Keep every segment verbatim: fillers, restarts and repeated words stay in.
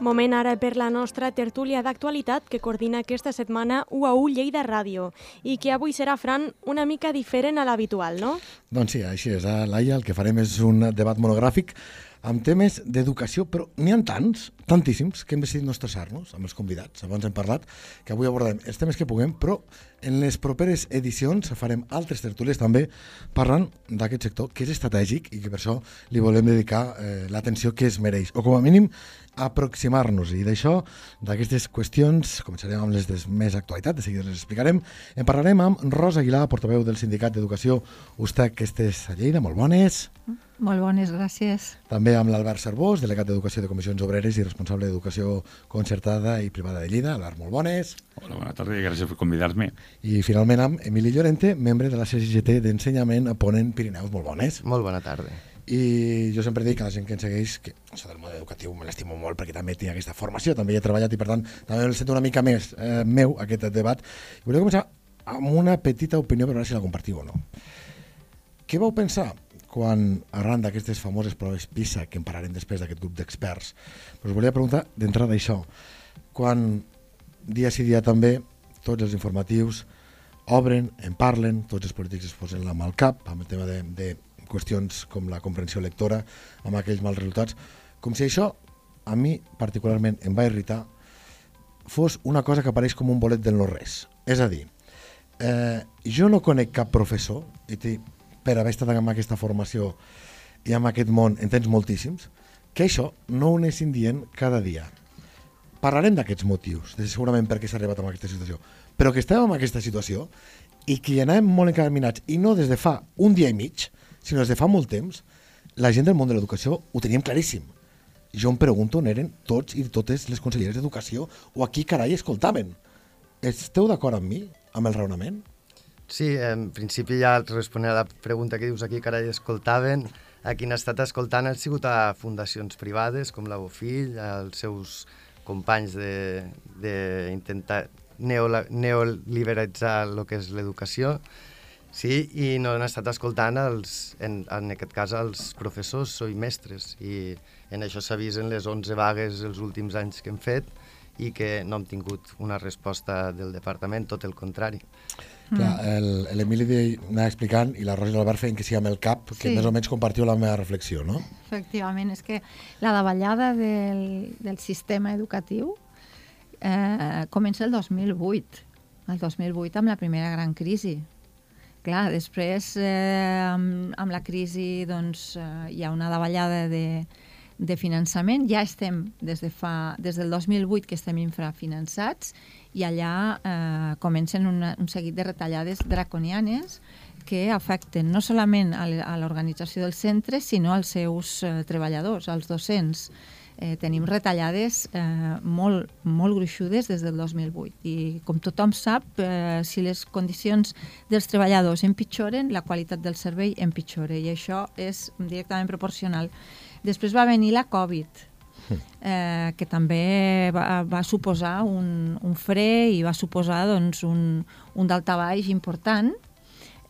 Moment ara per la nostra tertúlia d'actualitat que coordina aquesta setmana U A U Lleida Ràdio i que avui serà, Fran, una mica diferent a l'habitual, no? Doncs sí, així és. A Laia el que farem és un debat monogràfic amb temes d'educació, però n'hi ha tants, tantíssims, que hem decidit no estressar-nos amb els convidats. Abans hem parlat que avui abordarem els temes que puguem, però en les properes edicions farem altres tertúlies també parlant d'aquest sector que és estratègic i que per això li volem dedicar eh, l'atenció que es mereix, o com a mínim aproximar-nos. I d'això, d'aquestes qüestions, començarem amb les de més actualitat, de seguida les explicarem. En parlarem amb Rosa Aguilar, portaveu del Sindicat d'Educació U S T E C, que estàs a Lleida. Molt bones. Molt bones, gràcies. També amb l'Albert Cervós, delegat d'Educació de Comissions Obreres i responsable d'Educació Concertada i Privada de Lleida. Albert, molt bones. Hola, bona tarda i gràcies per convidar-me. I finalment amb Emili Llorente, membre de la C G T d'Ensenyament a Ponent Pirineus. Molt bones. Molt bona tarda. I jo sempre dic a la gent que ens segueix que això del món educatiu me l'estimo molt perquè també tinc aquesta formació, també hi he treballat i per tant també el sento una mica més eh, meu aquest debat. I volia començar amb una petita opinió per veure si la compartiu o no. Què vau pensar quan, arran d'aquestes famoses proves PISA, que en parlarem després d'aquest grup d'experts, us volia preguntar d'entrada això, quan dia sí dia també tots els informatius obren, en parlen, tots els polítics es posen la mà al cap amb el tema de, de qüestions com la comprensió lectora, amb aquells mals resultats, com si això, a mi particularment em va irritar, fos una cosa que apareix com un bolet del no-res. És a dir, eh, jo no conec cap professor, i t'hi per haver estat amb aquesta formació i amb aquest món en tens moltíssims, que això no ho anessin dient cada dia. Parlarem d'aquests motius, de segurament per què s'ha arribat a aquesta situació, però que estem en aquesta situació i que hi anem molt encaminats, i no des de fa un dia i mig, sinó des de fa molt temps, la gent del món de l'educació ho teníem claríssim. Jo em pregunto on eren tots i totes les conselleres d'educació o a qui carai escoltaven. Esteu d'acord amb mi, amb el raonament? Sí, en principi ja responent a la pregunta que dius aquí, carai, escoltaven, a qui han estat escoltant han sigut a fundacions privades com la Bofill, als seus companys d'intentar neoliberalitzar el que és l'educació, sí, i no han estat escoltant, els, en, en aquest cas, els professors i mestres, i en això s'ha vist en les onze vagues els últims anys que hem fet i que no hem tingut una resposta del departament, tot el contrari. Clar, l'Emili anava explicant i la Rosa i l'Albert feien que sí amb el cap, que sí, més o menys compartiu la meva reflexió, no? Efectivament, és que la davallada del, del sistema educatiu eh, comença el dos mil vuit, el dos mil vuit amb la primera gran crisi. Clar, després eh, amb, amb la crisi doncs, eh, hi ha una davallada de, de finançament, ja estem des, de fa, des del dos mil vuit que estem infrafinançats i allà eh, comencen una, un seguit de retallades draconianes que afecten no solament a l'organització dels centres, sinó als seus eh, treballadors, als docents. Eh, tenim retallades eh, molt, molt gruixudes des del dos mil vuit i com tothom sap, eh, si les condicions dels treballadors empitjoren, la qualitat del servei empitjora i això és directament proporcional. Després va venir la Covid, eh, que també va, va suposar un, un fre i va suposar doncs, un, un daltabaix important,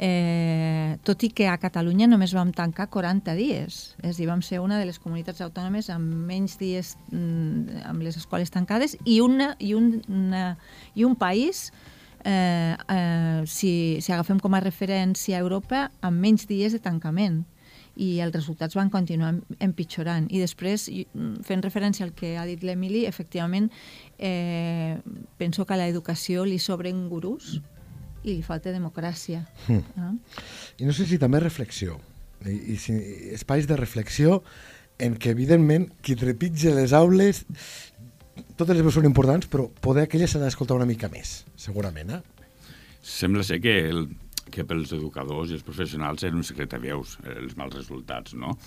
Eh, tot i que a Catalunya només vam tancar quaranta dies. És a dir, vam ser una de les comunitats autònomes amb menys dies mm, amb les escoles tancades i, una, i, un, una, i un país, eh, eh, si, si agafem com a referència a Europa, amb menys dies de tancament. I els resultats van continuar empitjorant. I després, fent referència al que ha dit l'Emili, efectivament, eh, penso que a l'educació li sobren gurús i li falta democràcia. Mm. Ah? I no sé si també reflexió, i, i si, espais de reflexió en què, evidentment, qui trepitja les aules, totes les veus són importants, però poder aquelles s'ha d'escoltar una mica més, segurament, eh? Sembla ser que, el, que pels educadors i els professionals eren un secret a veus, els mals resultats, no?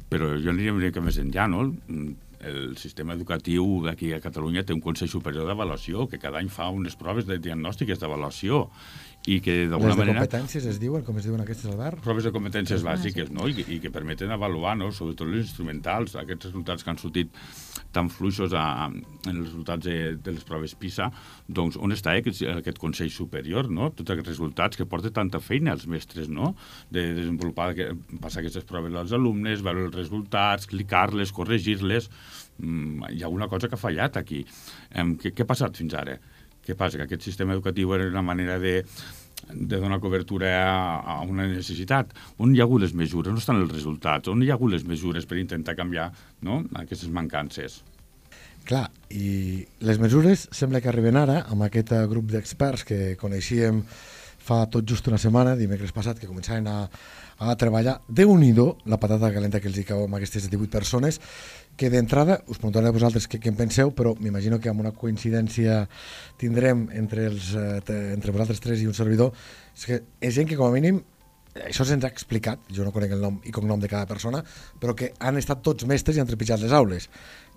Però jo aniria una mica més enllà, no? El sistema educatiu d'aquí a Catalunya té un Consell Superior d'Avaluació que cada any fa unes proves de diagnòstiques d'avaluació i que d'alguna Les de manera... competències es diuen, com es diuen aquestes, Albert? Proves de competències bàsiques, no? I, i que permeten avaluar, no? Sobretot els instrumentals, aquests resultats que han sortit tan fluixos a, en els resultats de, de les proves PISA, doncs on està aquest, aquest Consell Superior, no? Tots aquests resultats que porta tanta feina als mestres, no? De desenvolupar, que, passar aquestes proves als alumnes, veure els resultats, clicar-les, corregir-les... Mm, hi ha alguna cosa que ha fallat aquí. Eh, què, què ha passat fins ara? Què passa? Que aquest sistema educatiu era una manera de, de donar cobertura a, a una necessitat. On hi ha hagut les mesures? On estan els resultats? On hi ha hagut les mesures per intentar canviar, no?, aquestes mancances? Clar, i les mesures sembla que arriben ara amb aquest grup d'experts que coneixíem fa tot just una setmana, dimecres passat, que començaven a, a treballar. Déu-n'hi-do la patata calenta que els hi cau amb aquestes divuit persones, que d'entrada, us preguntaré a vosaltres què, què en penseu, però m'imagino que amb una coincidència tindrem entre, els, eh, entre vosaltres tres i un servidor, és que és gent que com a mínim, això se'ns ha explicat, jo no conec el nom i cognom de cada persona, però que han estat tots mestres i han trepitjat les aules,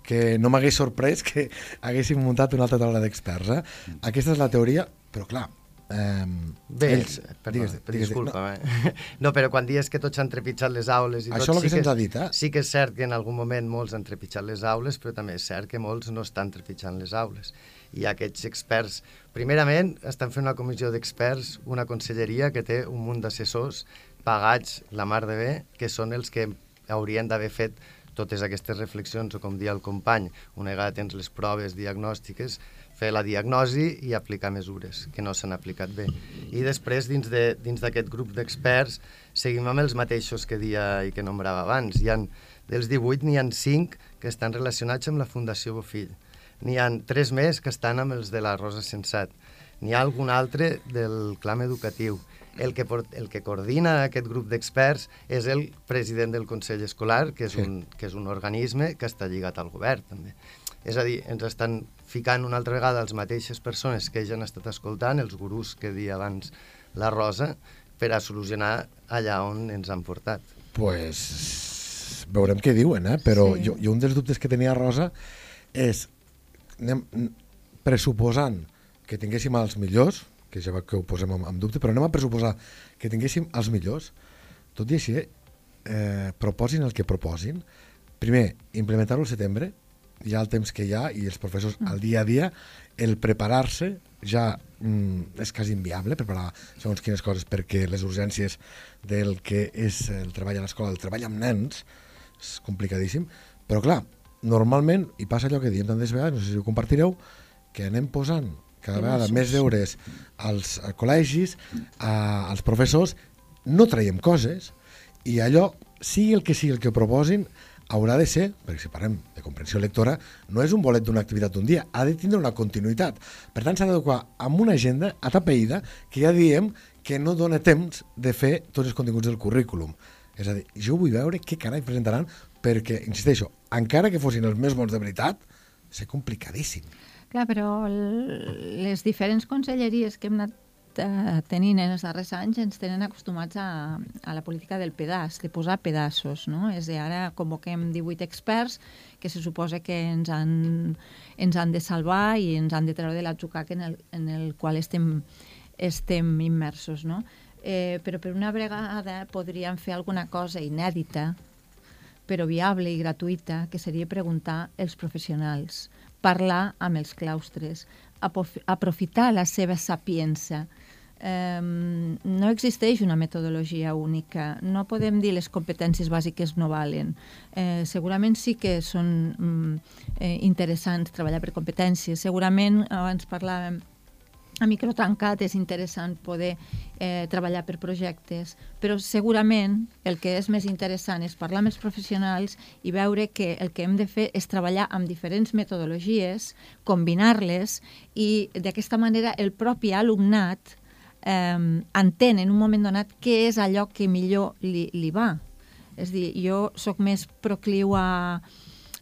que no m'hagués sorprès que haguéssim muntat una altra taula d'experts. Eh? Aquesta és la teoria, però clar, Um, Bé, ells, perdó, digues, digues, disculpa, no. Eh? no, però quan dius que tots han trepitjat les aules i això tot, és el que sí se'ns ha dit, eh? Sí que és cert que en algun moment molts han trepitjat les aules, però també és cert que molts no estan trepitjant les aules. I aquests experts, primerament, estan fent una comissió d'experts, una conselleria que té un munt d'assessors pagats la mar de bé, que són els que haurien d'haver fet totes aquestes reflexions, o com dia el company, una vegada tens les proves diagnòstiques, fer la diagnosi i aplicar mesures que no s'han aplicat bé. I després, dins de, dins d'aquest grup d'experts, seguim amb els mateixos que dia i que nombrava abans. Hi ha, dels divuit, n'hi ha cinc que estan relacionats amb la Fundació Bofill. N'hi ha tres més que estan amb els de la Rosa Sensat. N'hi ha algun altre del clam educatiu. El que, el que coordina aquest grup d'experts és el president del Consell Escolar, que és, sí. un, que és un organisme que està lligat al govern, també. És a dir, ens estan ficant una altra vegada les mateixes persones que ja han estat escoltant, els gurús que deia abans la Rosa, per a solucionar allà on ens han portat. Pues veurem què diuen, eh? Però sí. jo, jo un dels dubtes que tenia Rosa és, anem pressuposant que tinguéssim els millors, que ja que ho posem en, en dubte, però anem a pressuposar que tinguéssim els millors, tot i així, eh, proposin el que proposin. Primer, implementar-ho al setembre, hi ha el temps que hi ha i els professors mm. al dia a dia, el preparar-se ja mm, és quasi inviable, preparar segons quines coses, perquè les urgències del que és el treball a l'escola, el treball amb nens, és complicadíssim, però clar, normalment, i passa allò que diem tantes vegades, no sé si ho compartireu, que anem posant cada vegada més deures als col·legis, a, als professors, no traiem coses, i allò, sigui el que sigui el que proposin, haurà de ser, perquè si parlem de comprensió lectora, no és un bolet d'una activitat d'un dia, ha de tindre una continuïtat. Per tant, s'ha d'adequar amb una agenda atapeïda que ja diem que no dona temps de fer tots els continguts del currículum. És a dir, jo vull veure què carai presentaran perquè, insisteixo, encara que fossin els més bons de veritat, és complicadíssim. Clar, però les diferents conselleries que hem anat tenint en els darrers anys ens tenen acostumats a, a la política del pedaç, de posar pedaços, no? És a dir, ara convoquem divuit experts que se suposa que ens han, ens han de salvar i ens han de treure de l'atzucac en, el, en el qual estem, estem immersos, no? Eh, però per una vegada podríem fer alguna cosa inèdita, però viable i gratuïta, que seria preguntar als professionals, parlar amb els claustres, aprofitar la seva sapiença. Um, no existeix una metodologia única, no podem dir les competències bàsiques no valen. Eh, segurament sí que són um, eh, interessants treballar per competències, segurament abans parlàvem a micro tancat és interessant poder eh, treballar per projectes, però segurament el que és més interessant és parlar amb els professionals i veure que el que hem de fer és treballar amb diferents metodologies, combinar-les i d'aquesta manera el propi alumnat eh, entén en un moment donat què és allò que millor li, li va. És a dir, jo sóc més procliu a,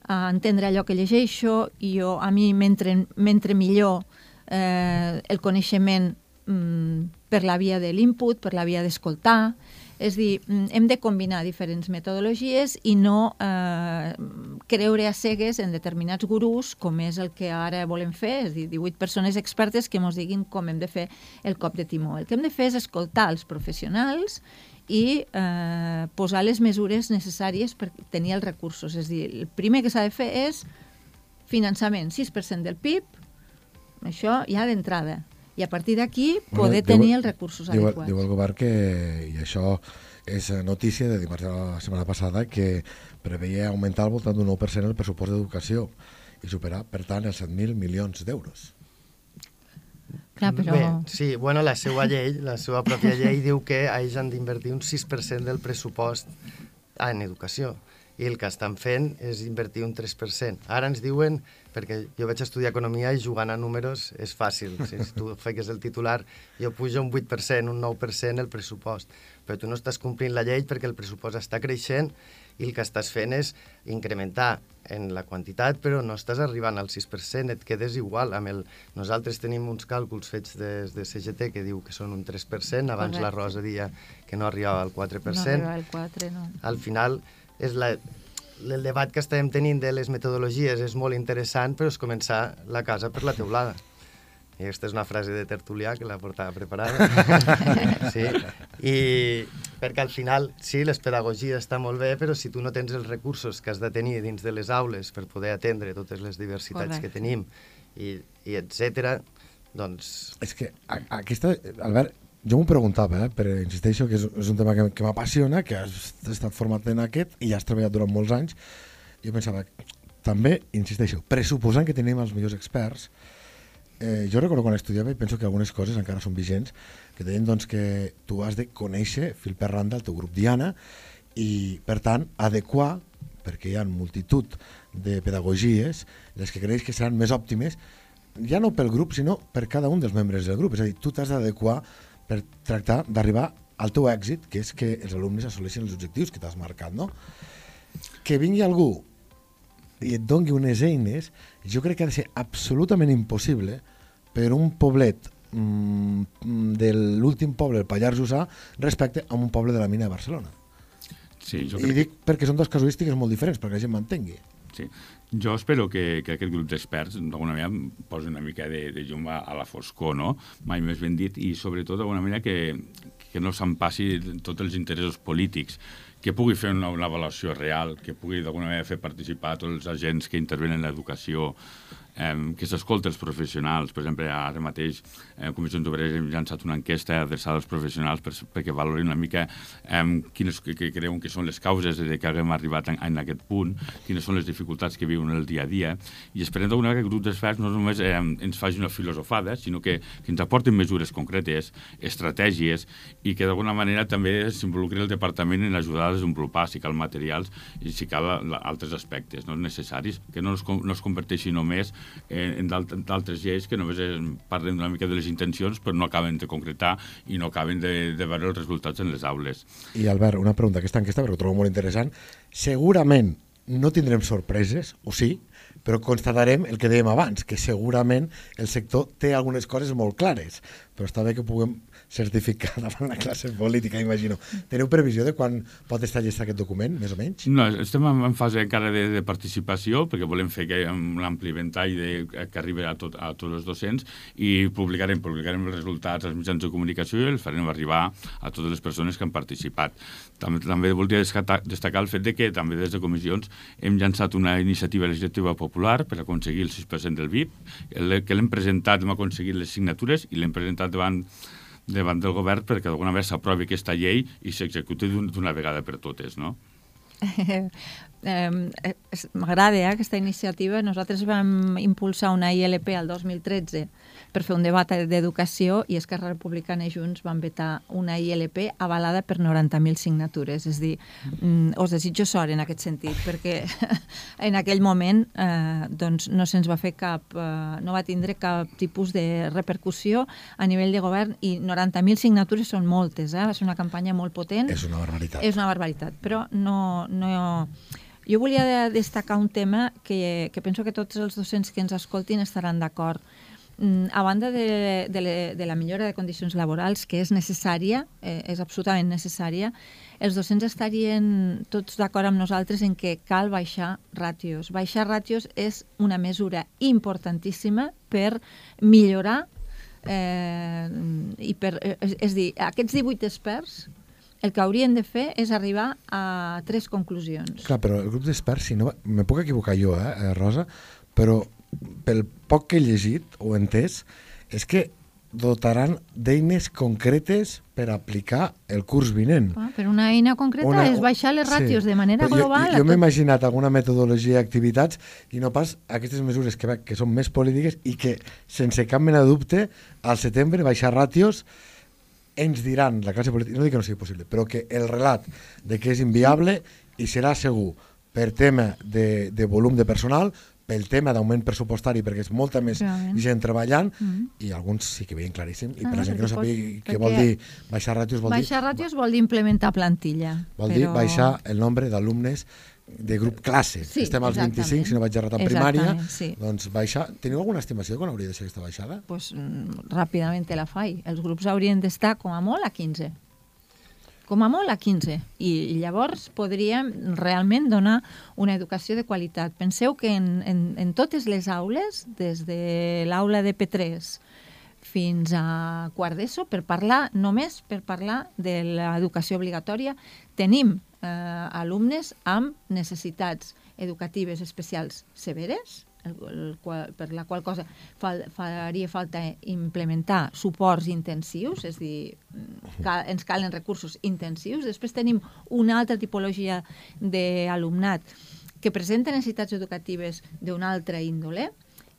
a entendre allò que llegeixo i jo, a mi mentre, mentre millor Eh, el coneixement mm, per la via de l'input, per la via d'escoltar. És a dir, hem de combinar diferents metodologies i no eh, creure a cegues en determinats gurús, com és el que ara volem fer, és a dir, divuit persones expertes que ens diguin com hem de fer el cop de timó. El que hem de fer és escoltar els professionals i eh, posar les mesures necessàries per tenir els recursos. És a dir, el primer que s'ha de fer és finançament, sis per cent del P I B, això ja d'entrada. I a partir d'aquí poder bueno, tenir diu, els recursos diu, adequats. Diu el govern que, i això és notícia de dimarts de la setmana passada, que preveia augmentar al voltant d'un nou per cent el pressupost d'educació i superar, per tant, els set mil milions d'euros. Clar, però... Bé, sí, bueno, la seva llei, la seva pròpia llei diu que ells han d'invertir un sis per cent del pressupost en educació i el que estan fent és invertir un tres per cent. Ara ens diuen, perquè jo vaig estudiar economia i jugant a números és fàcil. Si tu fiques el titular, jo pujo un vuit per cent, un nou per cent el pressupost. Però tu no estàs complint la llei perquè el pressupost està creixent i el que estàs fent és incrementar en la quantitat, però no estàs arribant al sis per cent, et quedes igual. Amb el... Nosaltres tenim uns càlculs fets des de C G T que diu que són un tres per cent, abans Correcte. La Rosa deia que no arribava al quatre per cent. No arribava al quatre, no. Al final, és la, el debat que estem tenint de les metodologies és molt interessant, però és començar la casa per la teulada. I aquesta és una frase de Tertulià que la portava preparada. Sí. I perquè al final, sí, les pedagogies està molt bé, però si tu no tens els recursos que has de tenir dins de les aules per poder atendre totes les diversitats Correcte. Que tenim, i, i etcètera, doncs... És que a, aquesta, Albert, jo m'ho preguntava, eh, però insisteixo que és, és un tema que, que m'apassiona, que has estat format en aquest i has treballat durant molts anys. Jo pensava, també, insisteixo, pressuposant que tenim els millors experts, eh, jo recordo quan estudiava i penso que algunes coses encara són vigents, que deien doncs, que tu has de conèixer fil per randa el teu grup diana i, per tant, adequar, perquè hi ha multitud de pedagogies, les que creus que seran més òptimes, ja no pel grup, sinó per cada un dels membres del grup. És a dir, tu t'has d'adequar per tractar d'arribar al teu èxit, que és que els alumnes assoleixin els objectius que t'has marcat, no? Que vingui algú i et doni unes eines, jo crec que ha de ser absolutament impossible per un poblet mmm, de l'últim poble, el Pallars Jussà, respecte a un poble de la mina de Barcelona. Sí, jo crec... I dic perquè són dues casuístiques molt diferents, perquè la gent m'entengui. Sí. Jo espero que, que aquest grup d'experts d'alguna manera posi una mica de, de llum a, a la foscor, no? Mai més ben dit, i sobretot d'alguna manera que, que no se'n passi tots els interessos polítics, que pugui fer una, una avaluació real, que pugui d'alguna manera fer participar tots els agents que intervenen en l'educació, eh, que s'escolta els professionals. Per exemple, ara mateix eh, Comissions Obreres hem llançat una enquesta adreçada als professionals per, perquè valorin una mica eh, quines que, que creuen que són les causes de que haguem arribat en, en aquest punt, quines són les dificultats que viuen el dia a dia, i esperem d'alguna vegada que el grup d'experts no només eh, ens faci una filosofada, sinó que, que ens aportin mesures concretes, estratègies, i que d'alguna manera també s'involucri el departament en ajudar a desenvolupar, si cal materials i si cal la, altres aspectes no necessaris, que no es, no es converteixi només en, en d'altres lleis que només parlen una mica de les intencions però no acaben de concretar i no acaben de, de veure els resultats en les aules. I Albert, una pregunta, aquesta enquesta, perquè ho trobo molt interessant, segurament no tindrem sorpreses, o sí, però constatarem el que dèiem abans, que segurament el sector té algunes coses molt clares, però està bé que puguem certificar davant la classe política, imagino. Teniu previsió de quan pot estar llest aquest document, més o menys? No, estem en fase encara de, de participació, perquè volem fer que hi ha un ampli ventall de, que arribi a, tot, a tots els docents, i publicarem, publicarem els resultats als mitjans de comunicació i els farem arribar a totes les persones que han participat. També, també voldria destacar, destacar el fet de que també des de comissions hem llançat una iniciativa legislativa popular per aconseguir el sis per cent del V I P, el, que l'hem presentat, hem aconseguit les signatures i l'hem presentat davant davant del govern perquè d'alguna vegada s'aprovi aquesta llei i s'executi d'una vegada per totes, no? Eh, eh, M'agrada eh, aquesta iniciativa. Nosaltres vam impulsar una I L P al dos mil tretze per fer un debat d'educació i Esquerra Republicana i Junts van vetar una I L P avalada per noranta mil signatures. És a dir, mm, us desitjo sort en aquest sentit, perquè en aquell moment eh, doncs no se'ns va fer cap, eh, no va tindre cap tipus de repercussió a nivell de govern i noranta mil signatures són moltes, eh? Va ser una campanya molt potent. És una barbaritat. És una barbaritat, però no... no jo volia destacar un tema que, que penso que tots els docents que ens escoltin estaran d'acord. a banda de, de, de la millora de condicions laborals, que és necessària, eh, és absolutament necessària, els docents estarien tots d'acord amb nosaltres en que cal baixar ràtios. Baixar ràtios és una mesura importantíssima per millorar eh, i per, és, és dir, aquests divuit experts el que haurien de fer és arribar a tres conclusions. Clar, però el grup d'experts, si no, me puc equivocar jo, eh, Rosa, però pel poc que he llegit o entès, és que dotaran d'eines concretes per aplicar el curs vinent. Ah, però una eina concreta una, és baixar les ràtios sí. de manera però global. Jo, jo, jo m'he tot... imaginat alguna metodologia d'activitats i no pas aquestes mesures que, que són més polítiques i que, sense cap mena de dubte, al setembre baixar ràtios ens diran, la classe política, no dic que no sigui possible, però que el relat de que és inviable i serà segur per tema de, de volum de personal, pel tema d'augment pressupostari, perquè és molta més Realment. gent treballant, Mm. i alguns sí que veien claríssim, i Ah, per la gent que no perquè sabia pot- què perquè vol dir baixar ràtios, vol Baixar dir, ràtios vol dir implementar plantilla. vol però... dir baixar el nombre d'alumnes de grup classe. Sí, Estem als exactament. vint-i-cinc, si no vaig errat en primària, Exactament, sí. doncs baixar... Teniu alguna estimació de quan hauria de ser aquesta baixada? Pues, mm, ràpidament te la faig. Els grups haurien d'estar com a molt a quinze. Com a molt a quinze. I, i llavors podríem realment donar una educació de qualitat. Penseu que en, en, en totes les aules, des de l'aula de P tres fins a quart d'ESO, per parlar, només per parlar de l'educació obligatòria, tenim eh, alumnes amb necessitats educatives especials severes, el, el qual, per la qual cosa fal, faria falta implementar suports intensius, és a dir, cal, ens calen recursos intensius. Després tenim una altra tipologia d'alumnat que presenta necessitats educatives d'una altra índole,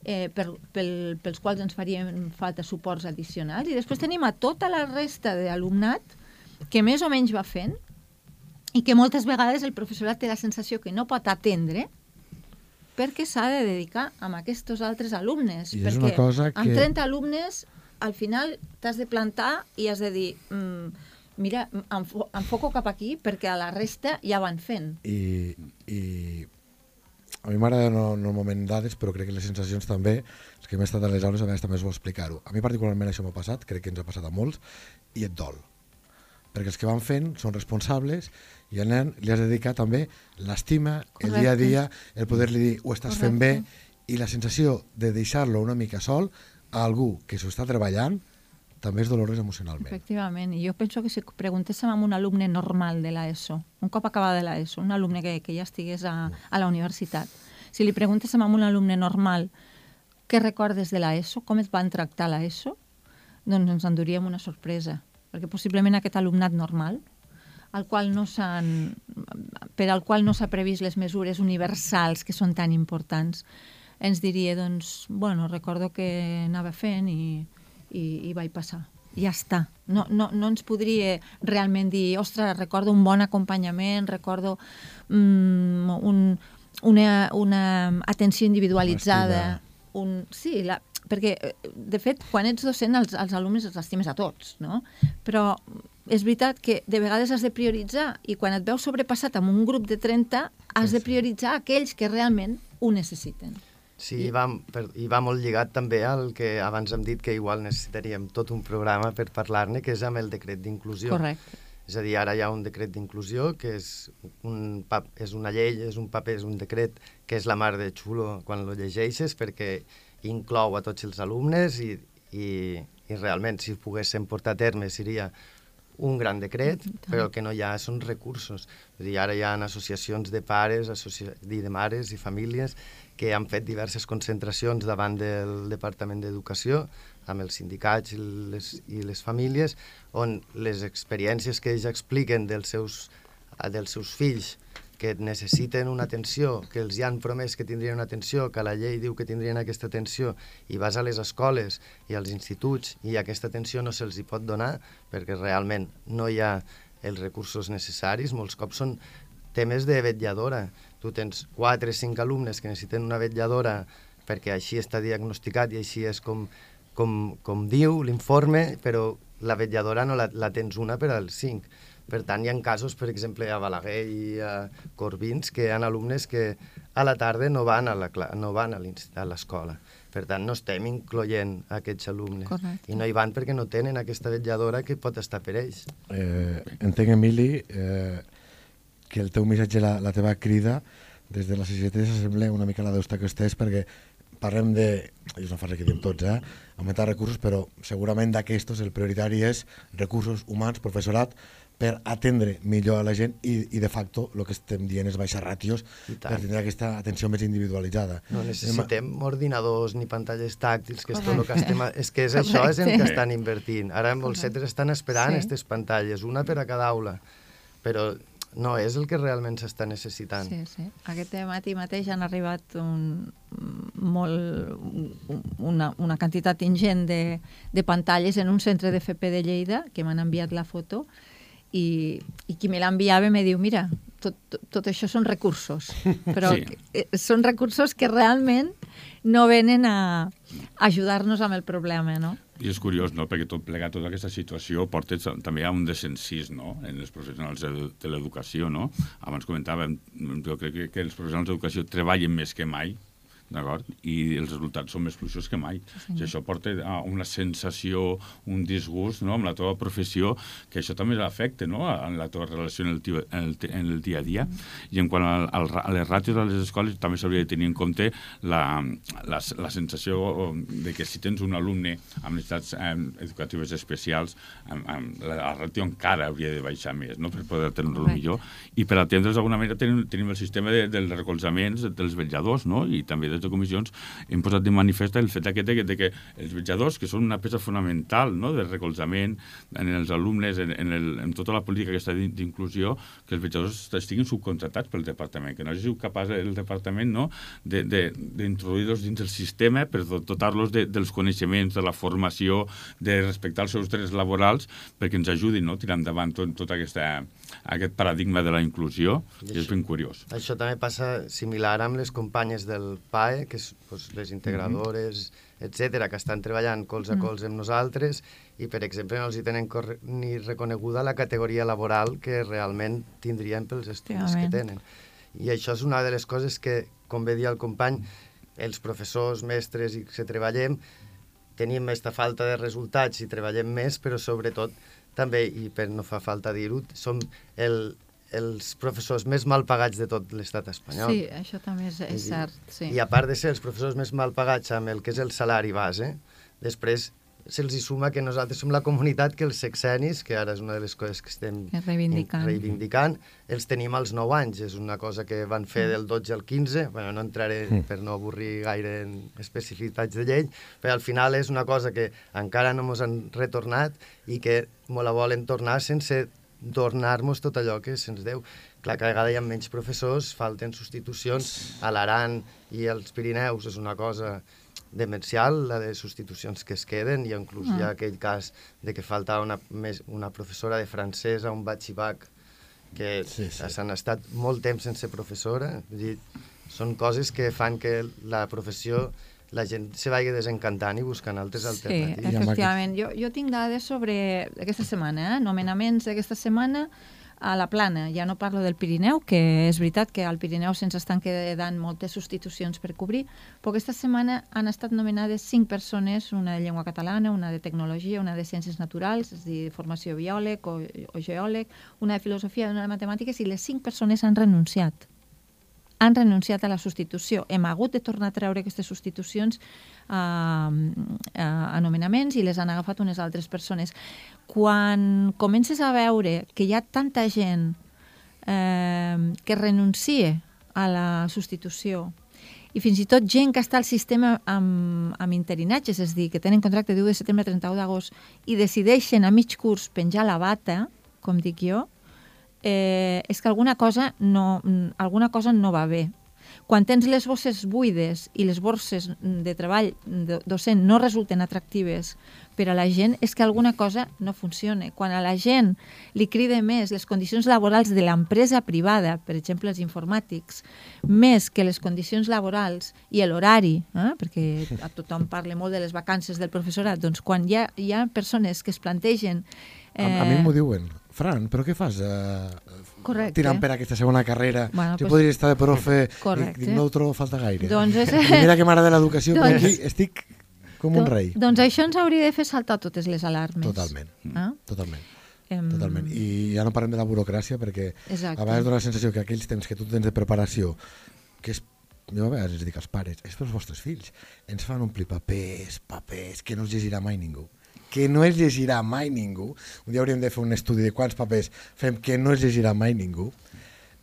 eh, per, pel, pels quals ens farien falta suports addicionals, i després tenim a tota la resta d'alumnat que més o menys va fent i que moltes vegades el professorat té la sensació que no pot atendre perquè s'ha de dedicar a aquests altres alumnes. I és perquè una cosa que... amb trenta alumnes, al final t'has de plantar i has de dir mm, mira, enfo enfoco cap aquí perquè a la resta ja van fent. I, i a mi m'agrada no, normalment dades, però crec que les sensacions també, els que hem estat a les aules a vegades també és bo explicar-ho. A mi particularment això m'ha passat, crec que ens ha passat a molts, i et dol. Perquè els que van fent són responsables i al nen li has de dedicar també l'estima, el dia a dia, el poder-li dir ho estàs Correcte. fent bé, i la sensació de deixar-lo una mica sol a algú que s'ho està treballant també és dolorós emocionalment. Efectivament, i jo penso que si preguntéssim a un alumne normal de l'ESO, un cop acabada de l'ESO, un alumne que, que ja estigués a, a la universitat, si li preguntéssim a un alumne normal què recordes de l'ESO, com et van tractar a l'ESO, doncs ens enduríem una sorpresa, perquè possiblement aquest alumnat normal, al qual no s'han, per al qual no s'ha previst les mesures universals que són tan importants, ens diria, doncs, bueno, recordo que anava fent i, i, i vaig passar. Ja està. No, no, no ens podria realment dir, ostres, recordo un bon acompanyament, recordo mm, un, una, una atenció individualitzada. Un, sí, la, perquè, de fet, quan ets docent, els, els alumnes els estimes a tots, no? Però és veritat que de vegades has de prioritzar i quan et veus sobrepassat amb un grup de trenta has de prioritzar aquells que realment ho necessiten. Sí, i va, per, i va molt lligat també al que abans hem dit que igual necessitaríem tot un programa per parlar-ne, que és amb el decret d'inclusió. Correcte. És a dir, ara hi ha un decret d'inclusió que és, un, és una llei, és un paper, és un decret que és la mar de xulo quan lo llegeixes perquè inclou a tots els alumnes i, i, i realment si poguéssim portar a terme seria un gran decret, però el que no hi ha són recursos. És a dir, ara hi ha associacions de pares, associ... de mares i famílies que han fet diverses concentracions davant del Departament d'Educació amb els sindicats i les, i les famílies, on les experiències que ells expliquen dels seus, dels seus fills que necessiten una atenció, que els hi han promès que tindrien una atenció, que la llei diu que tindrien aquesta atenció, i vas a les escoles i als instituts i aquesta atenció no se'ls hi pot donar perquè realment no hi ha els recursos necessaris. Molts cops són temes de vetlladora. Tu tens quatre o cinc alumnes que necessiten una vetlladora perquè així està diagnosticat i així és com, com, com diu l'informe, però la vetlladora no la, la tens una per als cinc. Per tant, hi ha casos, per exemple, a Balaguer i a Corbins, que hi ha alumnes que a la tarda no van a la cla- no van a l'inst- a l'escola. Per tant, no estem incloent aquests alumnes. Correcte. I no hi van perquè no tenen aquesta vetlladora que pot estar per ells. Eh, entenc, Emili, eh, que el teu missatge, la, la teva crida, des de la C C T s'assembla una mica a la d'Eustac Estès, perquè parlem de, és una frase que diem tots, eh? augmentar recursos, però segurament d'aquestos el prioritari és recursos humans, professorat, per atendre millor a la gent i, i de facto el que estem dient és baixar ràtios per tindre aquesta atenció més individualitzada. No necessitem ordinadors ni pantalles tàctils, que és tot el que Correcte. estem... És que és això és el que Correcte. estan invertint. Ara en molts centres estan esperant Sí. aquestes pantalles, una per a cada aula, però no és el que realment s'està necessitant. Sí, sí. Aquest matí mateix han arribat un, molt, una, una quantitat ingent de, de pantalles en un centre de F P de Lleida, que m'han enviat la foto, i, i qui me l'enviava me diu, mira, tot, tot, tot això són recursos, però Sí. que, eh, són recursos que realment no venen a ajudar-nos amb el problema, no? I és curiós, no?, perquè tot plegat, tota aquesta situació porta també a un desencís, no?, en els professionals de, de l'educació, no? Abans comentàvem, jo crec que, que els professionals d'educació treballen més que mai, d'acord? I els resultats són més fluixos que mai. Sí, I això porta a una sensació, un disgust, no?, amb la teva professió, que això també l'afecta, no?, en la teva relació en el, tia, en el, en el dia a dia. Mm. I en quant al, al, a les ràtios de les escoles, també s'hauria de tenir en compte la, la, la sensació de que si tens un alumne amb necessitats eh, educatives especials, amb, amb la, la ràtio encara hauria de baixar més, no?, per poder atendre-lo millor. I per atendre's d'alguna manera tenim, tenim el sistema de, dels recolzaments dels vetlladors, no?, i també de comissions hem posat de manifest el fet aquest de que, de que els vetlladors, que són una peça fonamental, no?, de recolzament en els alumnes, en, en, el, en tota la política aquesta d'inclusió, que els vetlladors estiguin subcontratats pel departament, que no hagi sigut capaç el departament, no?, d'introduir-los dins el sistema per dotar-los de, dels coneixements, de la formació, de respectar els seus drets laborals, perquè ens ajudin, no?, a tirar endavant tot, tot aquesta, aquest paradigma de la inclusió, i, i és ben curiós. Això també passa similar amb les companyes del P A E, que és doncs, les integradores, mm-hmm. etcètera, que estan treballant cols a cols amb nosaltres i, per exemple, no els hi tenen ni reconeguda la categoria laboral que realment tindrien pels estudis que tenen. I això és una de les coses que, com bé dir el company, els professors, mestres i que treballem, tenim aquesta falta de resultats i treballem més, però sobretot també, i per no fa falta dir-ho, som el els professors més mal pagats de tot l'estat espanyol. Sí, això també és, és cert. Sí. I a part de ser els professors més mal pagats amb el que és el salari base, després se'ls hi suma que nosaltres som la comunitat que els sexenis, que ara és una de les coses que estem reivindicant, reivindicant els tenim als nou anys. És una cosa que van fer del dotze al quinze, bueno, no entraré per no avorrir gaire en especificitats de llei, però al final és una cosa que encara no ens han retornat i que me la volen tornar sense tornar-nos tot allò que se'ns deu. Clar, cada vegada hi ha menys professors, falten substitucions. A l'Aran i als Pirineus és una cosa demencial, la de substitucions que es queden, i inclús hi ha aquell cas de que falta una, més, una professora de francès a un batxibac, que sí, sí. s'han estat molt temps sense professora. Vull dir, són coses que fan que la professió la gent se vagi desencantant i buscant altres sí, alternatives. Sí, efectivament. Jo, jo tinc dades sobre aquesta setmana, eh? nomenaments d'aquesta setmana a la Plana. Ja no parlo del Pirineu, que és veritat que al Pirineu se'ns estan quedant moltes substitucions per cobrir, però aquesta setmana han estat nomenades cinc persones, una de llengua catalana, una de tecnologia, una de ciències naturals, és a dir, formació biòleg o, o geòleg, una de filosofia, una de matemàtiques, i les cinc persones han renunciat. han renunciat a la substitució. Hem hagut de tornar a treure aquestes substitucions a, a, a nomenaments i les han agafat unes altres persones. Quan comences a veure que hi ha tanta gent eh, que renuncia a la substitució i fins i tot gent que està al sistema amb, amb interinatges, és a dir, que tenen contracte de u de setembre a trenta-u d'agost i decideixen a mig curs penjar la bata, com dic jo, Eh, és que alguna cosa, no, alguna cosa no va bé. Quan tens les bosses buides i les borses de treball docent no resulten atractives per a la gent, és que alguna cosa no funciona. Quan a la gent li crida més les condicions laborals de l'empresa privada, per exemple els informàtics, més que les condicions laborals i l'horari, eh? perquè a tothom parla molt de les vacances del professorat, doncs quan hi ha, hi ha persones que es plantegen A, a mi m'ho diuen. Fran, però què fas uh, tirant per aquesta segona carrera? Bueno, si pues, podries estar de profe, correcte. dic, no ho trobo falta gaire. Doncs és... I mira que m'agrada l'educació, doncs... però aquí estic com un rei. Doncs això ens hauria de fer saltar totes les alarmes. Totalment, ah? totalment. Em... Totalment. I ja no parlem de la burocràcia, perquè Exacte. a vegades dona la sensació que aquells temps que tu tens de preparació, que és, jo a vegades els dic als pares, és pels vostres fills, ens fan omplir papers, papers, que no els llegirà mai ningú. Que no es llegirà mai ningú. Un dia hauríem de fer un estudi de quants papers fem que no es llegirà mai ningú.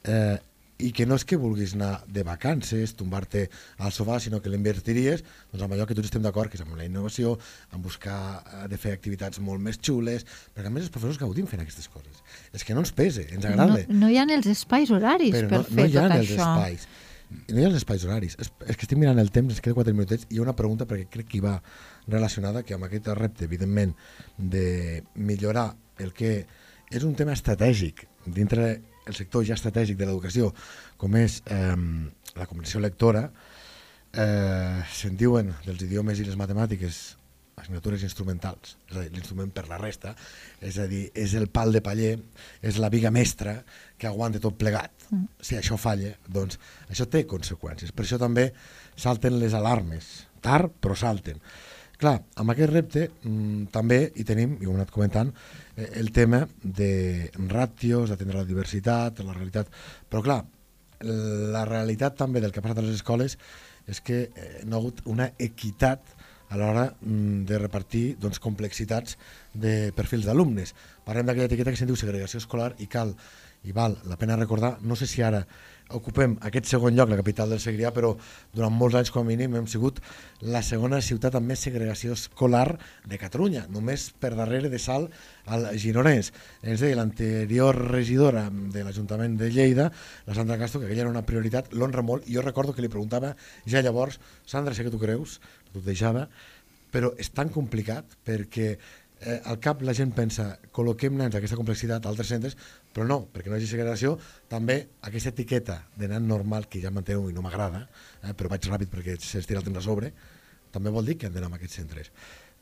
Eh, I que no és que vulguis anar de vacances, tombar-te al sofà, sinó que l'invertiries doncs, amb allò que tots estem d'acord, que és amb la innovació, amb buscar de fer activitats molt més xules, perquè a més els professors gaudim fent aquestes coses. És que no ens pese, ens agrada. No, no hi ha els espais horaris però per no, fer no hi ha tot els això. Espais. No hi ha els espais horaris. És, és que estic mirant el temps, ens queda quatre minutets, i hi ha una pregunta perquè crec que hi va relacionada, que amb aquest repte, evidentment, de millorar el que és un tema estratègic dintre el sector ja estratègic de l'educació, com és eh, la comprensió lectora, eh, se'n diuen dels idiomes i les matemàtiques assignatures instrumentals, és a dir, l'instrument per la resta, és a dir, és el pal de paller, és la viga mestra que aguanta tot plegat. Mm. Si això falla, doncs això té conseqüències. Per això també salten les alarmes, tard però salten. Clar, amb aquest repte mmm, també hi tenim, i ho hem anat comentant, eh, el tema de ràtios, d'atendre la diversitat, la realitat. Però clar, la realitat també del que ha passat a les escoles és que eh, no ha hagut una equitat a l'hora mm, de repartir doncs, complexitats de perfils d'alumnes. Parlem d'aquella etiqueta que se'n diu segregació escolar i cal, i val la pena recordar, no sé si ara ocupem aquest segon lloc, la capital del Segrià, però durant molts anys com a mínim hem sigut la segona ciutat amb més segregació escolar de Catalunya, només per darrere de Salt al Gironès. Ens deia l'anterior regidora de l'Ajuntament de Lleida, la Sandra Castro, que aquella era una prioritat, l'honra molt, i jo recordo que li preguntava ja llavors, Sandra, sé que tu creus, tu et deixava, però és tan complicat perquè eh, al cap la gent pensa col·loquem nens d'aquesta complexitat a altres centres, però no, perquè no hi hagi segregació, també aquesta etiqueta de nen normal, que ja manteniu i no m'agrada, eh, però vaig ràpid perquè s'estira el temps a sobre, també vol dir que han d'anar a aquests centres.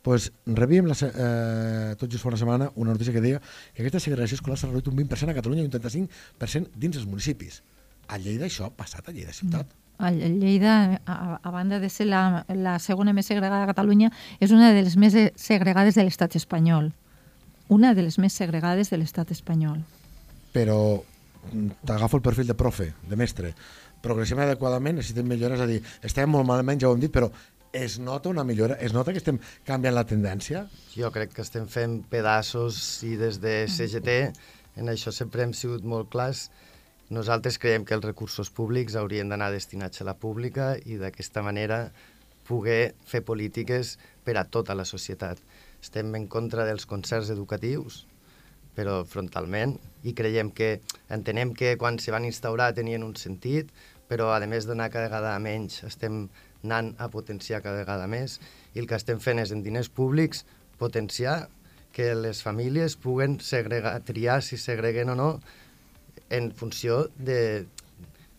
Pues, rebíem la, eh, tot just fa una setmana una notícia que deia que aquesta segregació escolar s'ha reduït un vint per cent a Catalunya i un trenta-cinc per cent dins els municipis. A Lleida això ha passat, a Lleida ciutat. A Lleida, a, a banda de ser la, la segona més segregada de Catalunya, és una de les més segregades de l'estat espanyol. Una de les més segregades de l'estat espanyol. Però t'agafo el perfil de profe, de mestre. Progressivament adequadament necessitem millores, és a dir, estem molt malament, ja ho hem dit, però es nota una millora? Es nota que estem canviant la tendència? Jo crec que estem fent pedaços i des de C G T en això sempre hem sigut molt clars. Nosaltres creiem que els recursos públics haurien d'anar destinats a la pública i d'aquesta manera poder fer polítiques per a tota la societat. Estem en contra dels concerts educatius, però frontalment, i creiem que, entenem que quan se van instaurar tenien un sentit, però a més d'anar cada vegada menys, estem anant a potenciar cada vegada més, i el que estem fent és en diners públics potenciar que les famílies puguen segregar, triar si segreguen o no, en funció de,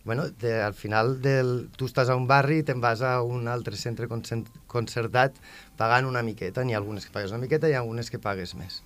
bueno, de, al final del, tu estàs a un barri i te'n vas a un altre centre concertat pagant una miqueta, n'hi ha algunes que pagues una miqueta i algunes que pagues més.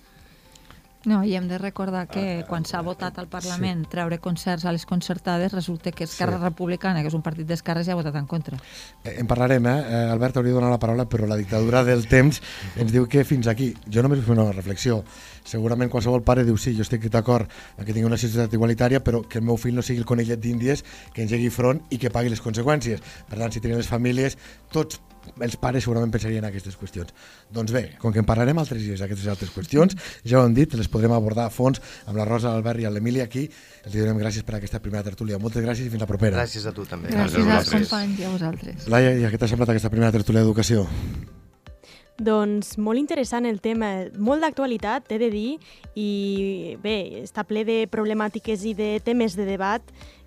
No, i hem de recordar que quan s'ha votat al Parlament sí. treure concerts a les concertades, resulta que Esquerra sí. Republicana, que és un partit d'esquerres, ja ha votat en contra. Eh, en parlarem, eh? Albert, hauria de donar la paraula, però la dictadura del temps ens diu que fins aquí. Jo només vull fer una reflexió. Segurament qualsevol pare diu sí, jo estic d'acord que tingui una societat igualitària, però que el meu fill no sigui el conillet d'Índies que engegui front i que pagui les conseqüències. Per tant, si tenen les famílies, tots els pares segurament pensarien en aquestes qüestions. Doncs bé, com que en parlarem altres dies d'aquestes altres qüestions, ja ho hem dit, les podrem abordar a fons amb la Rosa, l'Albert i l'Emília aquí. Els donem gràcies per aquesta primera tertúlia. Moltes gràcies i fins la propera. Gràcies a tu també. Gràcies, gràcies als companys i a vosaltres. Laia, i què t'ha semblat aquesta primera tertúlia d'educació? Doncs molt interessant el tema, molt d'actualitat, he de dir, i bé, està ple de problemàtiques i de temes de debat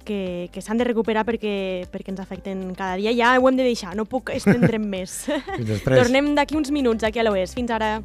que, que s'han de recuperar perquè, perquè ens afecten cada dia. Ja ho hem de deixar, no puc estendre'm més. Fins després. Tornem d'aquí uns minuts aquí a l'Oest. Fins ara.